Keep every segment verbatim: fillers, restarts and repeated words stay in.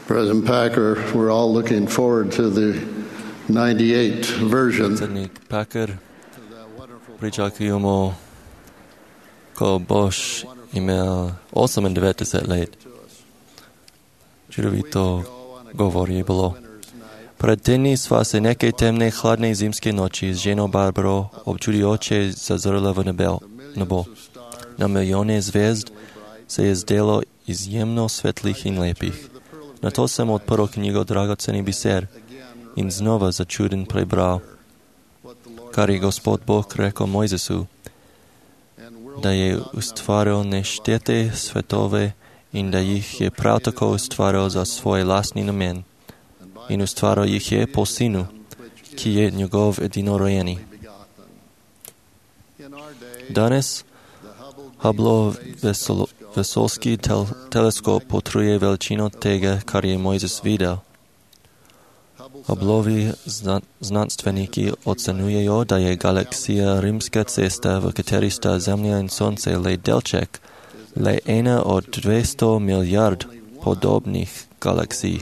President Packer, we're all looking forward to the ninety-eight version. Predsjednik Packer, pričakujemo ko boš imel osemdeset let. Čudovito govor je bilo. Pred tedny sva se neke temné, chladné zimské noči s ženou Barbarou občudujoče zazrla v nebo. Na milióny zvězd se je zdelo izjemno svetlých i lepých. Na to jsem odprl knjigu Dragocený biser in znova začuden prebral, kar je Gospod Boh rekl Mojzesu, da je ustvaril neštete svetove in da jih je prav tako ustvaril za svoj lastni namen. In ustvaril jih je po sinu, ki je njegov edinorojeni. Danes Hubble vesoljski tel, teleskop potrjuje veličino tega, kar je Mojzes videl. Hubbleovi zna, znanstveniki ocenujejo, da je galaksija rimska cesta, v kateri sta Zemlja in Sonce le delček, le ena od dvesto milijard podobnih galaksij.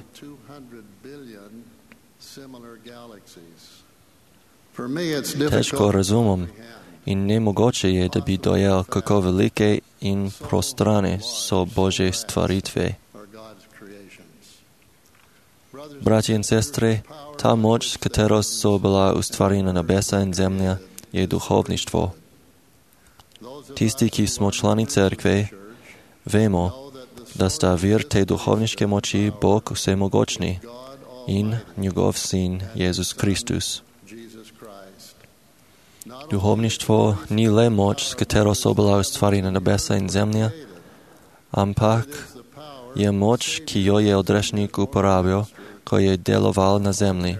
Težko razumem in nemogoče je, da bi dojel, kako velike in prostrane so Božje stvaritve. Bratje in sestre, ta moč, s katero so bila ustvarjena nebesa in zemlja, je duhovništvo. Tisti, ki smo člani cerkve, vemo, da sta vir te duhovniške moči Bog vsemogočni in njegov sin Jezus Kristus. Duhovništvo ni le moč, s katero so bila ustvarjena nebesa in zemlja, ampak je moč, ki jo je odrešnik uporabil, ko je deloval na zemlji,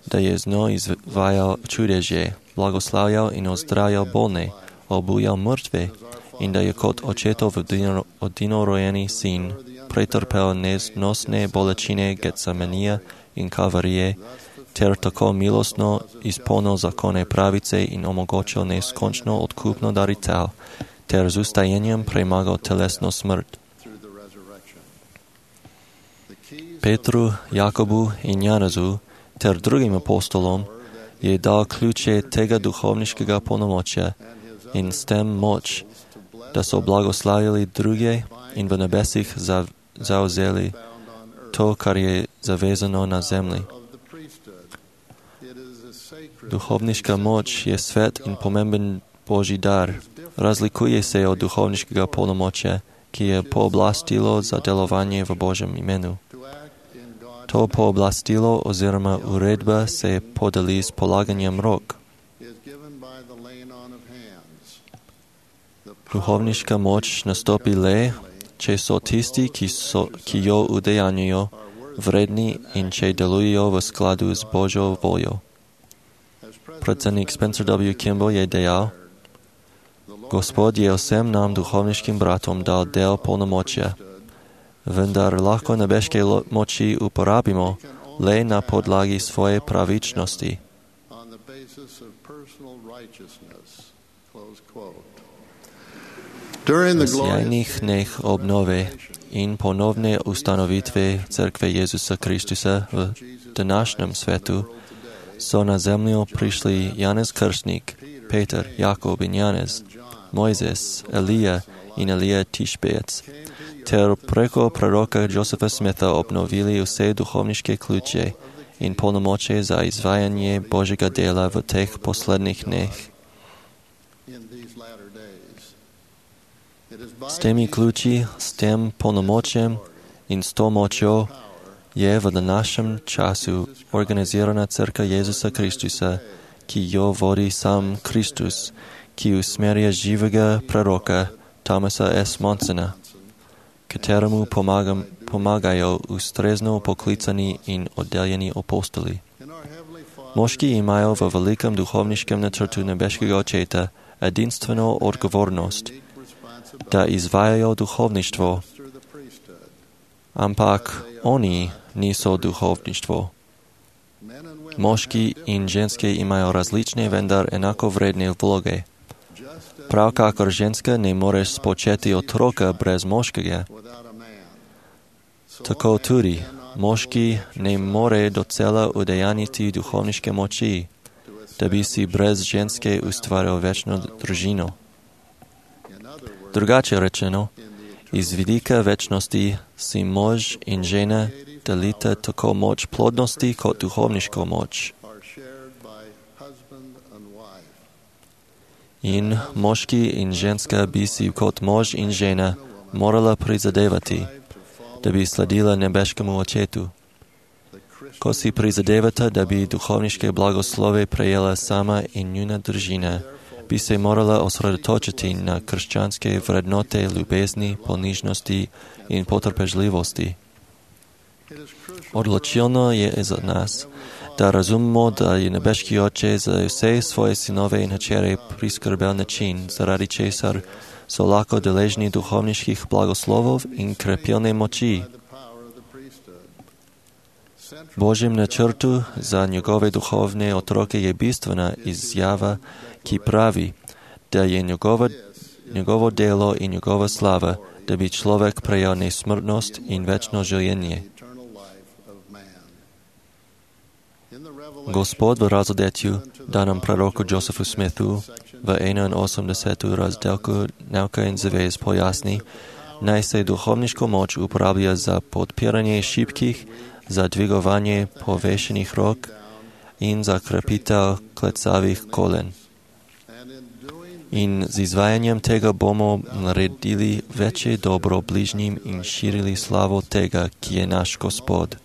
da je z njo izvajal čudeže, blagoslavljal in ozdravljal bolne, obujal mrtve in da je kot očetov edinorojeni sin pretrpel neznosne bolečine Getsemanija in Kalvarije, ter tako milostno izpolnil zakone pravice in omogočil neskončno odkupno daritev, ter z ustajenjem premagal telesno smrt. Petru, Jakobu in Janezu ter drugim apostolom je dal ključe tega duhovniškega polnomočja in s tem moč, da so blagoslavili druge in v nebesih zavzeli to, kar je zavezano na zemlji. Duhovniška moč je svet in pomemben Božji dar. Razlikuje se od duhovniškega polnomočja, ki je pooblastilo za delovanje v Božjem imenu. To pooblastilo oziroma uredba se podeli s polaganjem rok. Duhovniška moč nastopi le, če so tisti, ki, so, ki jo udejanjujo, vredni in če delujejo v skladu z Božjo voljo. Predsednik Spencer W. Kimball je dejal, Gospod je vsem nam duhovniškim bratom dal del polnomočja, vendar lahko nebeške moči uporabimo le na podlagi svoje pravičnosti. V sjajnih dneh obnove in ponovne ustanovitve Cerkve Jezusa Kristusa v današnjem svetu so na zemljo prišli Janez Krstnik, Peter, Jakob in Janez, Mojzes, Elija in Elija Tišbejec, ter preko proroka Josepha Smitha obnovili vse duhovniške ključe in polnomoče za izvajanje Božjega dela v teh poslednjih dneh. S temi ključi, s tem polnomočem in s to močjo je v današnjem času organizirana Cerkev Jezusa Kristusa, ki jo vodi sam Kristus, ki usmerja živega proroka Thomasa S. Monsona, kateremu pomagam, pomagajo ustrezno poklicani in oddeljeni apostoli. Moški imajo v velikem duhovniškem načrtu nebeškega očeta edinstveno odgovornost, da izvajajo duhovništvo, ampak oni niso duhovništvo. Moški in ženske imajo različne, vendar enako vredne vloge. Prav kakor ženska ne moreš spočeti otroka brez moškega, tako tudi Moški ne more docela udejaniti duhovniške moči, da bi si brez ženske ustvaril večnu družinu. Drugače rečeno, iz vidika večnosti si mož in žena delita tako moč plodnosti kot duhovniško moč. In moški in ženska bi si kot mož in žena morala prizadevati, da bi sledila nebeškemu očetu. Ko si prizadevata, da bi duhovniške blagoslove prejela sama in njuna družina, bi se morala osredotočiti na krščanske vrednote ljubezni, ponižnosti in potrpežljivosti. Odločilno je za nas, da razumemo, da je nebeški oče za vse svoje sinove in hčere priskrbel način, zaradi česar so lahko deležni duhovniških blagoslovov in krepilne moči. Božjem načrtu za njegove duhovne otroke je bistvena izjava, ki pravi, da je njegova, njegovo delo in njegova slava, da bi človek prejel nesmrtnost in večno življenje. Gospod v razodetju, danem proroku Josephu Smithu, v enainosemdesetem razdelku Nauka in zavez pojasni, naj se duhovniško moč uporablja za podpiranje šibkih, za dvigovanje povešenih rok in za krepitev klecavih kolen. In z izvajanjem tega bomo naredili večje dobro bližnjim in širili slavo tega, ki je naš Gospod.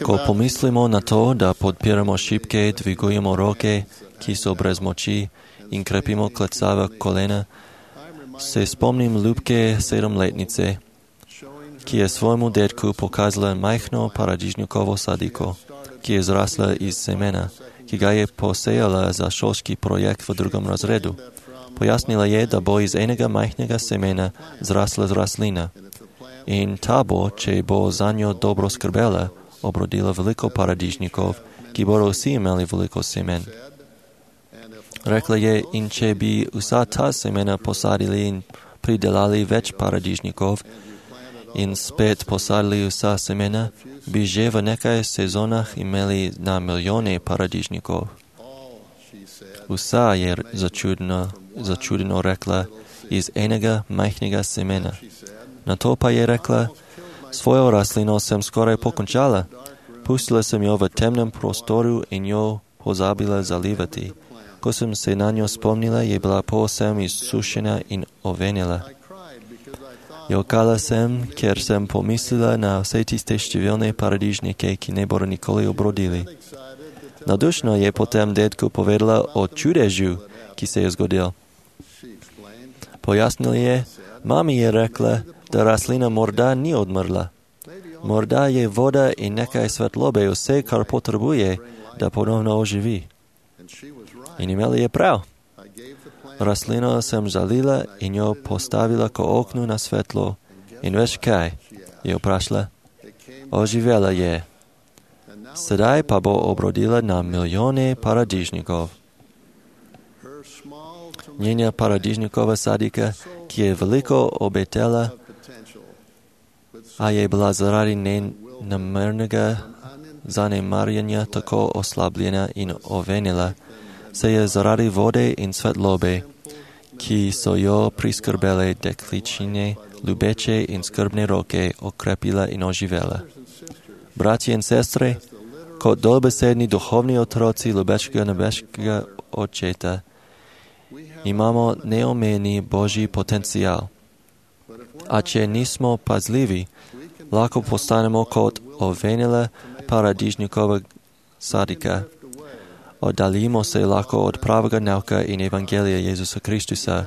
Ko pomislimo na to, da podpiramo šibke, dvigujemo roke, ki so brez moči, in krepimo klecava kolena, se spomnim ljubke sedemletnice, ki je svojemu detku pokazala majhno paradižnikovo sadiko, ki je zrasla iz semena, ki ga je posejala za šolski projekt v drugem razredu. Pojasnila je, da bo iz enega majhnega semena zrasla rastlina. In ta bo, če bo za njo dobro skrbela, obrodila veliko paradižnikov, ki bodo vsi imeli veliko semen. Rekla je, in če bi vsa ta semena posadili in pridelali več paradižnikov in spet posadili vsa semena, bi že v nekaj sezonah imeli na milijone paradižnikov. Vsa je začudno, začudno rekla iz enega majhnega semena. Na to pa je rekla, svojo rastlino sem skoraj pokončala. Pustila sem jo v temnem prostoru in jo pozabila zalivati. Ko sem se na njo spomnila, je bila povsem izsušena in ovenela. Jokala sem, ker sem pomislila na vse tiste številne paradižnike, ki ne bodo nikoli obrodili. Nadušno je potem detku povedala o čudežu, ki se je zgodil. Pojasnil je, mami je rekla, da rastlina morda ni odmrla. Morda je voda in nekaj svetlobe vse, kar potrebuje, da ponovno oživi. In imela je prav. Rastlino sem zalila in jo postavila k oknu na svetlo. In veš kaj? Je vprašala. Oživela je. Sedaj pa bo obrodila na milijone paradižnikov. Njena paradižnikova sadika, ki je veliko obetela, a je bila zaradi nenamernega zanemarjanja tako oslabljena in ovenila, se je zaradi vode in svetlobe, ki so jo priskrbele dekličine, ljubeče in skrbne roke, okrepila in oživela. Bratje in sestre, kot dobesedni duhovni otroci ljubečega nebeškega očeta, imamo neomejeni Božji potencial. A če nismo pazljivi, lahko postanemo kot ovenela paradižnikova sadika. Oddaljimo se lahko od pravega nauka in evangelija Jezusa Kristusa.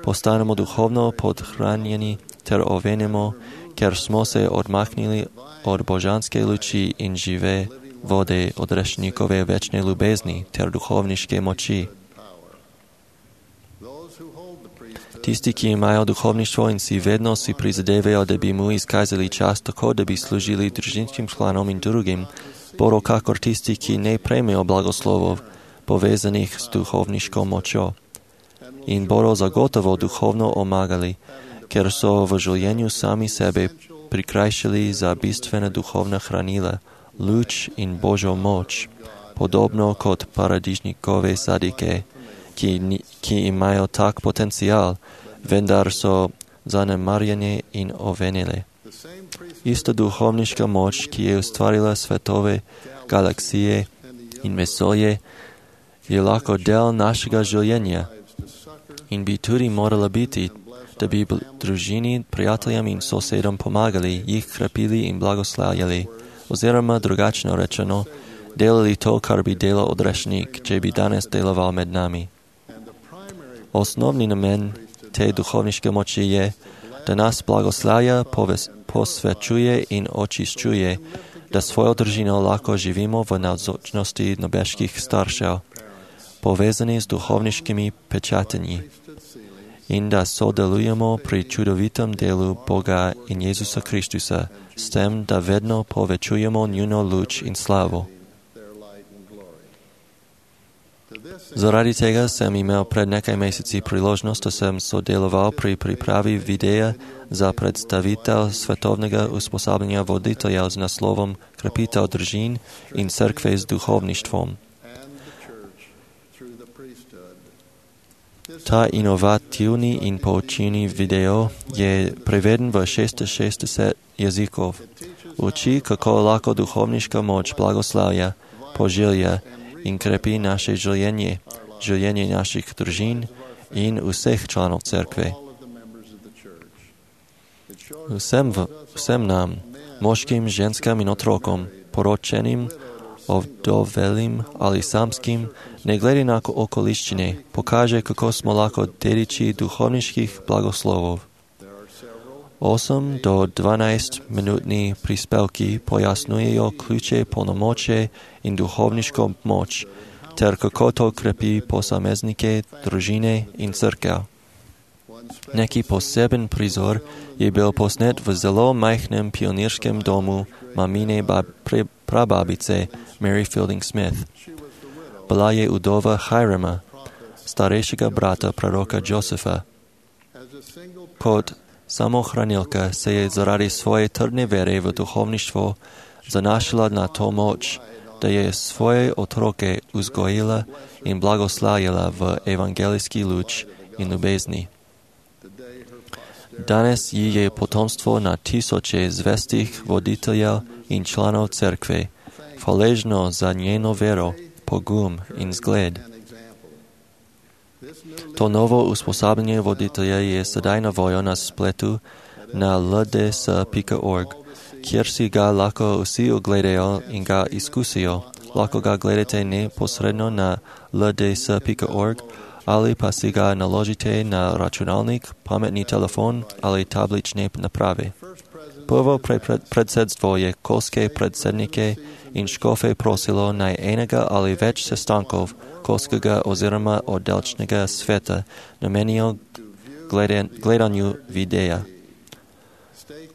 Postanemo duhovno podhranjeni ter ovenemo, ker smo se odmaknili od božanske luči in žive vode od rešnikove večne ljubezni ter duhovniške moči. Tisti, ki imajo duhovništvo in si vedno si prizadevajo, da bi mu izkazali čas tako, da bi služili družinskim članom in drugim, bodo kakor tisti, ki ne prejmejo blagoslovov, povezanih s duhovniško močjo. In bodo zagotovo duhovno omagali ker so v življenju sami sebe prikrajšali za bistvena duhovna hranila, luč in Božjo moč, podobno kot paradižnikove sadike, ki, ki imajo tak potenciál, vendar so zanemarjene in ovenele. Isto duhovniška moč, ki je ustvarila svetove, galaksije in vesolje, je lahko del našega življenja in bi tudi morala biti, da bi družini, prijateljem in sosedom pomagali, jih krepili in blagoslavljali, oziroma drugačno rečeno, delali to, kar bi delal odrešnik, če bi danes deloval med nami. Osnovni namen te duhovniške moči je, da nas blagoslavlja, posvečuje in očiščuje, da svojo družino lahko živimo v navzočnosti nebeških staršev, povezani z duhovniškimi pečatenji, in da sodelujemo pri čudovitem delu Boga in Jezusa Kristusa, s tem, da vedno povečujemo njuno luč in slavo. Zaradi tega sem imel pred nekaj meseci priložnost, da sem sodeloval pri pripravi videa za predstavitev svetovnega usposabljanja voditeljev z naslovom Krepitev družin in cerkve z duhovništvom. Ta inovativni in poučilni video je preveden v šestinšestdeset jezikov. Uči, kako lahko duhovniška moč blagoslavlja, požilja in krepi naše življenje, življenje naših družin in vseh članov cerkve. Vsem, v, vsem nam, moškim, ženskam in otrokom, poročenim, ovdovelim ali samskim, ne glede na okoliščine, pokaže, kako smo lahko dediči duhovniških blagoslovov. osem do dvanajst minutni prispevki pojasnujejo ključe polnomoče in duhovniško moč, ter kako to krepi posameznike, družine in cerkev. Neki poseben prizor je bil posnet v zelo majhnem pionirskem domu mamine bab, pre, prababice Mary Fielding Smith. Bila je udova Hirama, starejšega brata proroka Josefa. Kot samohranilka se je zaradi svoje trdne vere v duhovništvo zanašala na to moč, da je svoje otroke vzgojila in blagoslavljala v evangelijski luč in ljubezni. Danes ji je potomstvo na tisoče zvestih voditeljev in članov cerkve, hvaležno za njeno vero, pogum in zgled. To novo usposabljanje voditelja je sedaj na voljo na spletu na l d s pika org, kjer si ga lahko vsi ogledajo in ga izkusijo. Lahko ga gledate neposredno na l d s pika org ali pa si ga naložite na računalnik, pametni telefon ali tablične naprave. Prvo predsedstvo je kolske predsednike in škofe prosilo naj enega ali več sestankov kolskega oziroma oddelčnega sveta namenijo gledanju videa.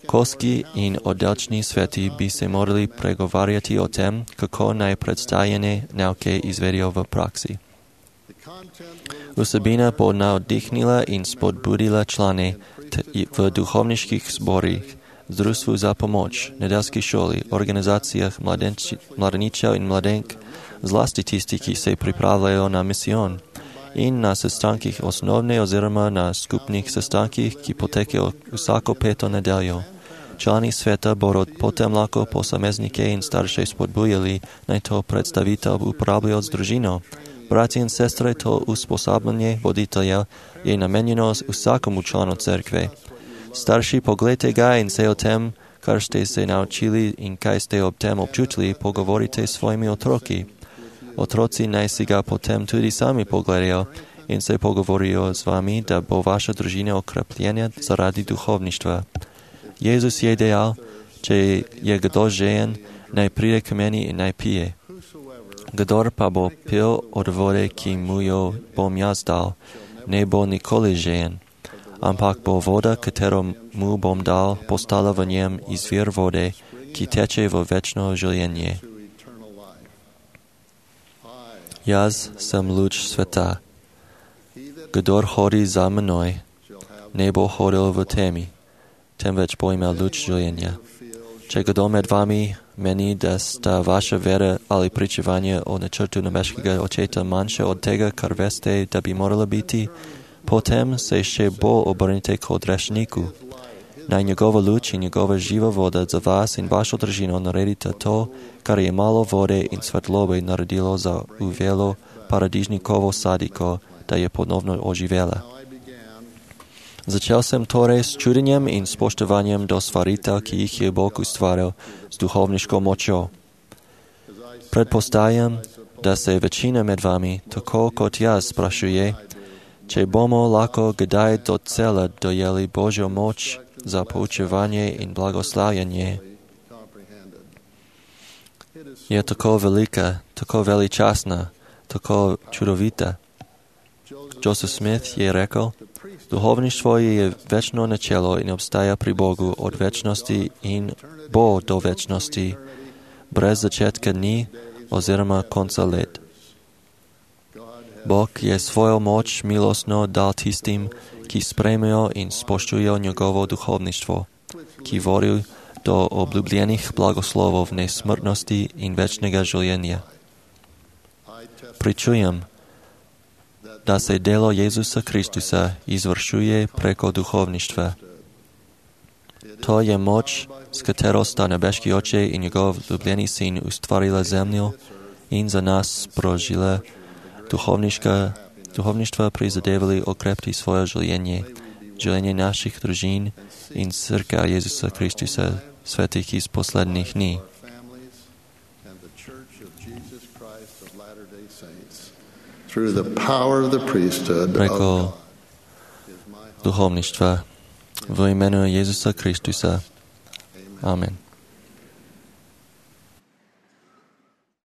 Kolski in oddelčni sveti bi se morali pregovarjati o tem, kako naj predstavljene nauke izvedijo v praksi. Vsebina bo navdihnila in spodbudila člane v duhovniških zborih, društvu za pomoč, nedeljski šoli, organizacijah mladeničev in mladenk, zlasti tisti, ki se pripravljajo na misijon, in na sestankih osnovne oziroma na skupnih sestankih, ki potekajo vsako peto nedeljo. Člani sveta bodo potem lahko posameznike in starše spodbujali, naj to predstavitev uporabljajo z družino. Bratje in sestre, to usposabljanje voditelja je namenjeno vsakomu članu cerkve. Starši, pogledajte ga in se o tem, kar ste se naučili in kaj ste ob tem občutili, pogovorite s svojimi otroki. Otroci naj si ga potem tudi sami pogledajo in se pogovorijo z vami, da bo vaša družina okrepljena zaradi duhovništva. Jezus je dejal, če je kdo žejen, naj pride k meni in naj pije. Kdor pa bo pil od vode, ki mu jo bom jaz dal, ne bo nikoli žejen, ampak bo voda, katero mu bom dal, postala v njem izvir vode, ki teče v večno življenje. Jaz sem luč sveta. Kdor hodi za menoj, nebo chodil v témi. Ten več pojmel ľud žilenia. Če kdo med vami mení, da sta vaša vera ali pričevanje o načrtu nebeskega očeta manjše od tega, kar veste, da bi morala biti, potem se še bolj obrnite k odrešniku. Naj njegova luč in njegova živa voda za vas in vašo družino naredita to, kar je malo vode in svetlobe naredilo za uvelo paradižnikovo sadiko, da je ponovno oživela. Začel sem torej s čudenjem in spoštovanjem do stvaritev, ki jih je Bog ustvaril s duhovniško močjo. Predpostavljam, da se večina med vami, tako kot jaz, sprašuje, če bomo lahko kdaj docela dojeli Božjo moč za poučevanje in blagoslavljanje. Je tako velika, tako veličastna, tako čudovita. Joseph Smith je rekel, duhovništvo je večno načelo in obstaja pri Bogu od večnosti in bo do večnosti, brez začetka ni oziroma konca let. Bog je svojo moč milostno dal tistim, ki sprejmejo in spoštujejo njegovo duhovništvo, ki vodijo do obljubljenih blagoslovov nesmrtnosti in večnega življenja. Pričujem, da se delo Jezusa Kristusa izvršuje preko duhovništva. To je moč, s katero sta nebeški oče in njegov ljubljeni sin ustvarila zemljo in za nas sprožila duhovništva prizadevali okrepiti svoje življenje, življenje naših družin in crkva Jezusa Kristusa, svetih iz poslednjih dní. Preko duhovništva v imenu Jezusa Kristusa. Amen.